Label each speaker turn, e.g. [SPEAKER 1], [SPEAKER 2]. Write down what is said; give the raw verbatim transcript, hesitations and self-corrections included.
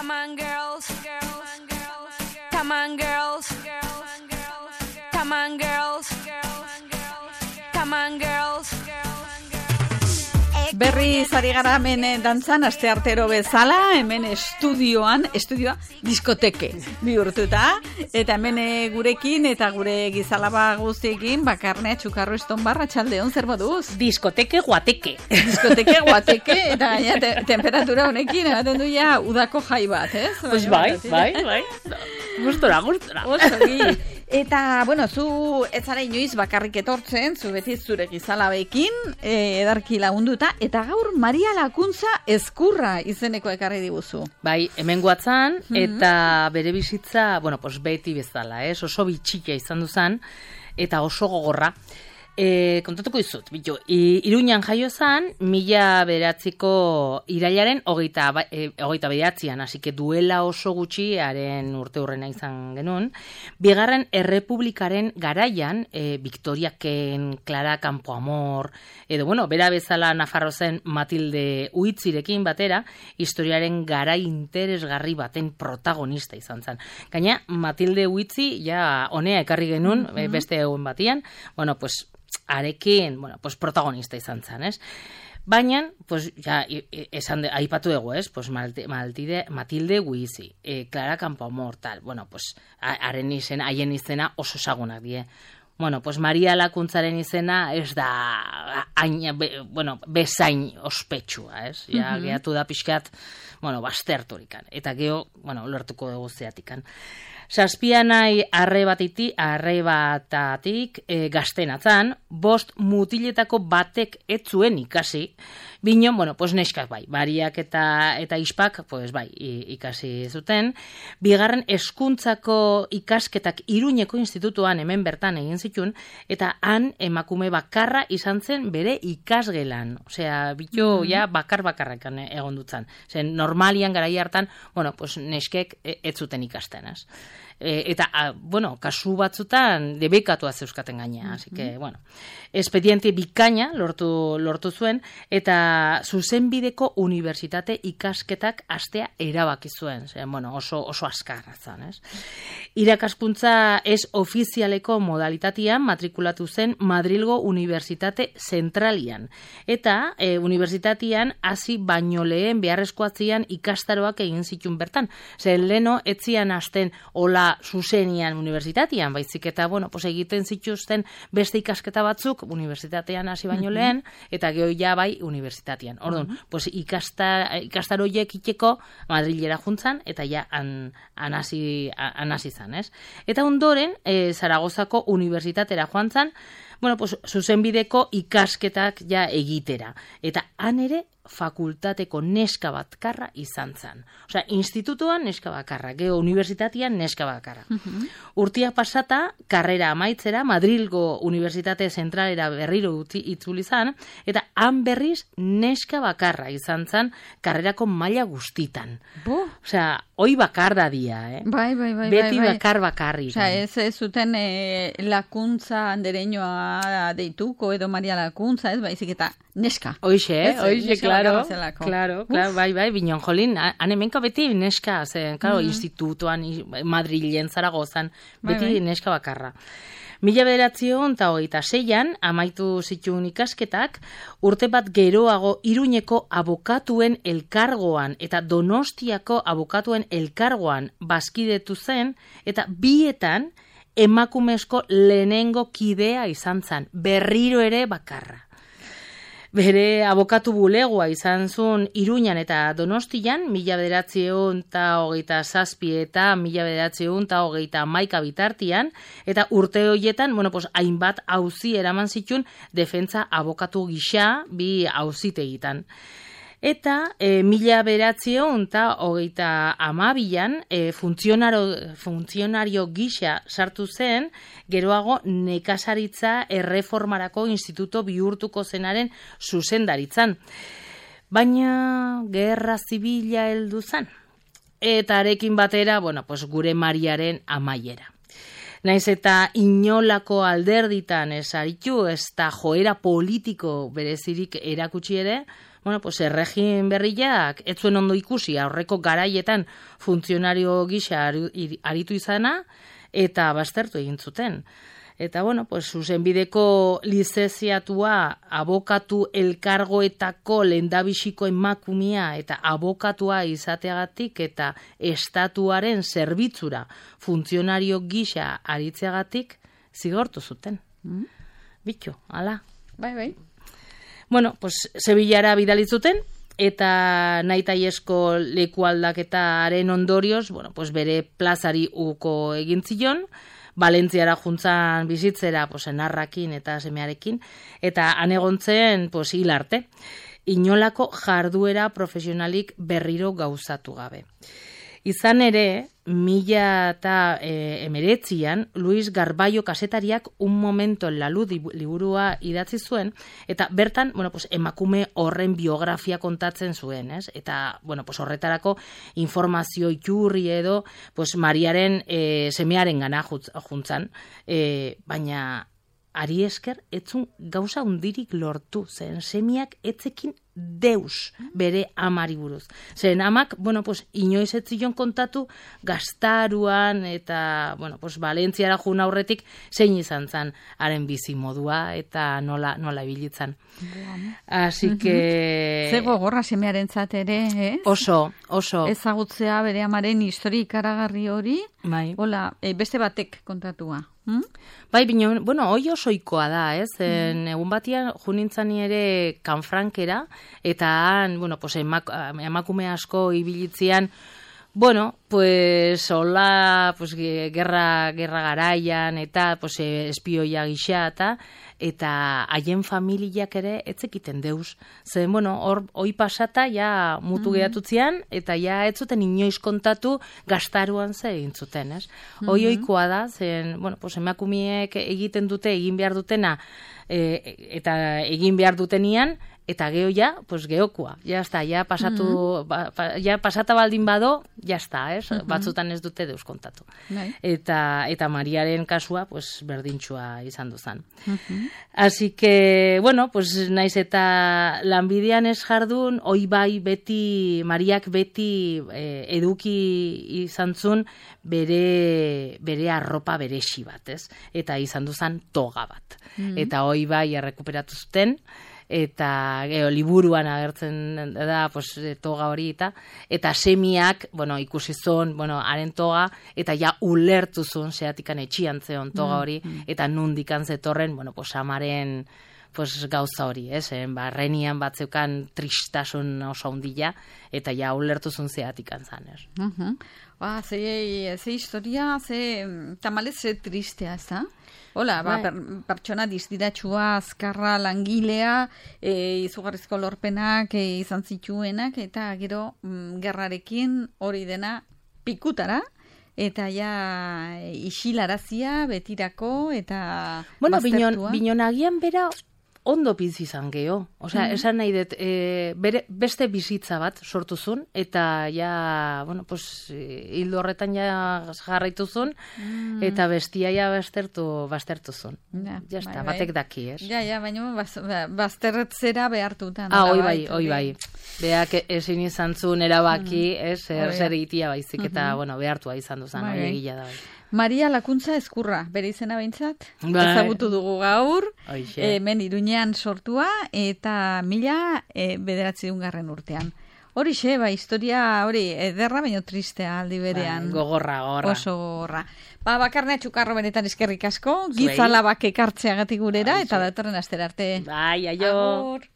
[SPEAKER 1] Come on, girls. Come on, girls. Come on, girls. Come on, girls.
[SPEAKER 2] Berri zari gara hemen dantzan, aste artero bezala, hemen estudioan, estudioa diskoteke bihurtuta, eta hemen gurekin eta gure gizalaba guztiekin, bakarnea txukarro eston barra txaldeon, zer moduz?
[SPEAKER 3] Diskoteke guateke.
[SPEAKER 2] Diskoteke guateke, eta ja, te, temperatura honekin, ematen du ja, udako jai bat, ez?
[SPEAKER 3] Pues bai, bai, bai. Gustora, gustora.
[SPEAKER 2] Osogi. Eta, bueno, zu ez zara inoiz bakarrik etortzen, zu beti zure gizalabekin, e, edarki lagunduta, eta gaur Maria Lakuntza Ezkurra izeneko ekarri diguzu.
[SPEAKER 3] Bai, hemen guatzan, eta bere bizitza, bueno, pues beti bezala, ez? Oso bitxikia izan duzan, eta oso gogorra. E, kontatuko izut, bitu, Iruñan jaio zan, mila beratziko irailaren hogeita, e, hogeita beratzean, hasi que duela oso gutxi, haren urte hurrena izan genuen, bigarren errepublikaren garaian, e, Victoria Ken, Clara Campoamor, edo, bueno, bera bezala Nafarro zen Matilde Uitzirekin batera, historiaren garai interesgarri baten protagonista izan zen. Gaina, Matilde Uitzi, ja, honea ekarri genuen, mm-hmm. beste egun batian, bueno, pues, arekin, bueno, pues protagonista izan zen, ez? Baina, pues, ja, esan de, aipatu dugu, ez? Pues Matilde, Matilde Uitzi, eh, Clara Campoamor, tal, bueno, pues, haren izena, haien izena oso ezagunak die. Bueno, pues Maria Lakuntzaren izena ez da, aina, be, bueno, bezain ospetsua, ez? Ja, mm-hmm. Gehatu da pixkat, bueno, basterturikan. Eta geho, bueno, lortuko dugu zeatikan. Zazpianai arrebatiti, arrebatatik e, gaztenatzan, bost mutiletako batek ez zuen ikasi, bino, bueno, pues neskak bai, Mariak eta, eta ispak, pues bai, ikasi zuten. Bigarren hezkuntzako ikasketak Iruñeko institutuan hemen bertan egin zituen, eta han emakume bakarra izan zen bere ikasgelan. Osea, bito, mm-hmm. ja, bakar-bakarrak egon dutzen. Zen, normalian garai hartan, bueno, pues neskek ez zuten ikasten, ez? E, eta, a, bueno, kasu batzutan debekatua zeuskaten gaina, mm-hmm. así que, bueno, expediente bikaina lortu, lortu zuen, eta zuzenbideko unibertsitate ikasketak astea erabaki zuen, zen, bueno, oso, oso askarra zen, ez? Irakaskuntza ez ofizialeko modalitatean matrikulatu zen Madrilgo Unibertsitate Zentralian, eta e, unibertsitatean hasi baino lehen beharrezkoatzian ikastaroak egin zituen bertan, zen leno etzian hasten ola zuzenian unibertsitatean, baizik eta, bueno, pues egiten zituzten beste ikasketa batzuk unibertsitatean hasi baino lehen, eta geho ja bai unibertsitatean. Orduan, uh-huh. pues ikasta, ikastaroiek iteko Madrilera juntzan, eta ja an, anasi, anasi zan, ez? Eta ondoren, e, Zaragozako unibertsitatera joan zan, bueno, pues zuzenbideko ikasketak ja egitera. Eta han ere fakultateko neska batkarra izan zen. Osea, institutuan neska bakarra, geho unibertsitatean neska bakarra. Uh-huh. Urtia pasata, karrera amaitzera, Madrilgo Unibertsitate Zentralera berriro itzuli zan, eta han berriz neska bakarra izan zen karrerako maila guztitan.
[SPEAKER 2] Bo.
[SPEAKER 3] Osea, hoi bakar da dia, eh?
[SPEAKER 2] Bai, bai, bai.
[SPEAKER 3] Beti
[SPEAKER 2] bai, bai.
[SPEAKER 3] bakar bakarri.
[SPEAKER 2] Osea, ez, ez zuten e, Lakuntza andereñoa deituko edo Maria Lakuntza, ez baizik eta neska.
[SPEAKER 3] Oixe, eh? Oixe, claro,
[SPEAKER 2] claro,
[SPEAKER 3] claro, bai, bai, binon jolin, han hemenka beti neska, zen, claro, mm-hmm. institutuan, Madrilen, Zaragozan, beti bai, bai. Neska bakarra. Mila bederatzion eta hogeita seian, amaitu zituen ikasketak, urte bat geroago Iruñeko abokatuen elkargoan eta Donostiako abokatuen elkargoan bazkidetu zen, eta bietan emakumezko lehenengo kidea izan zen, berriro ere bakarra. Bere abokatu bulegoa izan zuen Iruñan eta Donostian, mila bederatziehun eta hogeita zazpi eta mila bederatziehun eta hogeita hamaika bitartian, eta urte horietan, bueno, pues, hainbat auzi eraman zituen defentsa abokatu gisa bi auzitegitan. Eta e, mila bederatziehun eta hogeita hamabian e, funtzionario, funtzionario gisa sartu zen, geroago nekazaritza erreformarako instituto bihurtuko zenaren zuzendaritzan. Baina gerra zibila heldu zen. Eta arekin batera, bueno, pues, gure Mariaren amaiera. Naiz eta inolako alderditan ez aritu, ez da joera politiko berezirik erakutsi ere, bueno, pues erregin berriak ez zuen ondo ikusi aurreko garaietan funtzionario gisa aritu izana eta baztertu egin zuten. Eta, bueno, pues, zuzenbideko lizenziatua, abokatu elkargoetako lehendabiziko emakumia eta abokatua izateagatik eta estatuaren zerbitzura funtzionario gisa aritzeagatik zigortu zuten. Mm. Bitxo, ala.
[SPEAKER 2] Bai, bai.
[SPEAKER 3] Bueno, pues, Sevillara bidalitzuten, eta nahitaiesko leku aldaketaren ondorioz, bueno, pues, bere plazari uko egin zion, Valentziara juntzan bizitzera, pues, enarrakin eta semearekin, eta anegontzen, pues, hil arte. Inolako jarduera profesionalik berriro gauzatu gabe. Izan ere, mila eta e, emeretzian, Luis Garbaio kasetariak un momento en la luz liburua idatzi zuen, eta bertan, bueno, pues, emakume horren biografia kontatzen zuen, ez? Eta, bueno, pues, horretarako informazio iturri edo, pues, Mariaren e, semearen gana juntzan, e, baina ari esker etzun gauza hundirik lortu, zen semiak etzekin deus bere amari buruz. Zen amak, bueno, pues, inoiz ez zion kontatu gaztaruan eta, bueno, pues, Valentziara jun aurretik zein izan zan haren bizi modua eta nola, nola ibilitzan. Así que...
[SPEAKER 2] Ze gogorra semearen ere, ez?
[SPEAKER 3] Oso, oso.
[SPEAKER 2] Ezagutzea bere amaren historia ikaragarri hori,
[SPEAKER 3] bai.
[SPEAKER 2] Hola, e, beste batek kontatua. Hmm?
[SPEAKER 3] Bai, bino, bueno, hoi osoikoa da, ez? En, mm. Egun batian, junintzani ere kanfrankera, eta han, bueno, pues, emak, emakume asko ibilitzian, bueno, pues, hola, pues, gerra, gerra garaian, eta, pues, espioia gisa, eta, eta haien familiak ere etzekiten deus. Zen, bueno, hor, hoi pasata, ja, mutu mm-hmm. gehatutzean, eta ja, ez zuten inoiz kontatu gaztaruan ze egin zuten, ez? Mm-hmm. Hoi oikoa da, zen, bueno, pues, emakumiek egiten dute, egin behar dutena, e, eta egin behar dutenian, eta geho ja, pues geokoa. Ja está, ja pasatu, mm-hmm. ba, pa, ja pasata baldin bado, ja está, ez? Mm-hmm. Batzutan ez dute deus kontatu. Nei. Eta eta Mariaren kasua, pues berdintxua izan duzan. Mm-hmm. Así que, bueno, pues naiz eta lanbidean ez jardun, oi bai beti, Mariak beti eh, eduki izan zun bere, bere arropa beresi bat, ez? Eta izan duzan toga bat. Mm-hmm. Eta oi bai errekuperatu zuten, eta geho, liburuan agertzen da pues, toga hori eta eta semiak, bueno, ikusi zuen, bueno, haren toga, eta ja ulertu zuen zeatikan etxian zeon toga hori, mm, mm. eta nundikan zetorren, bueno, pues, amaren pues, gauza hori, ez, eh? Ba, renian batzeukan tristasun oso hundila, eta ja ulertu zuen zeatikan zan, ez.
[SPEAKER 2] Uh-huh. Ba, ze, ze historia, ze tamalez ze tristea, ez da? Hola, ba, per, pertsona dizdiratxua, azkarra, langilea, e, izugarrizko lorpenak e, izan zituenak, eta gero mm, gerrarekin hori dena pikutara, eta ja isilarazia betirako, eta
[SPEAKER 3] bueno,
[SPEAKER 2] baztertua.
[SPEAKER 3] Binon, binonagian bera ondo bizi izan geho. Osea, mm-hmm. esan nahi dut, e, bere, beste bizitza bat sortu zuen, eta ja, bueno, pues, hildo horretan ja jarraitu zuen, mm. eta bestia ja baztertu, baztertu zuen. Ja, ja bai, bai. Batek daki, ez?
[SPEAKER 2] Ja, ja, baina baz, bazterretzera behartutan.
[SPEAKER 3] Ah, oi bai, oi bai. Beak ezin izan zuen erabaki, mm. ez, zer, zer itia baizik, mm-hmm. eta, bueno, behartua izan duzan, bai, hori egila da bai.
[SPEAKER 2] Maria Lakuntza Ezkurra, bere izena behintzat, ezagutu dugu gaur, hemen Iruñean sortua, eta mila e, bederatziehun garren urtean. Horixe, ba, historia hori ederra, baino tristea aldi berean.
[SPEAKER 3] Ba, gogorra, gogorra.
[SPEAKER 2] Oso gogorra. Ba, Bakarnea Txukarro benetan eskerrik asko, gizalabak ekartzeagatik gurera, eta datorren astera arte.
[SPEAKER 3] Bai, aio.
[SPEAKER 2] Agur.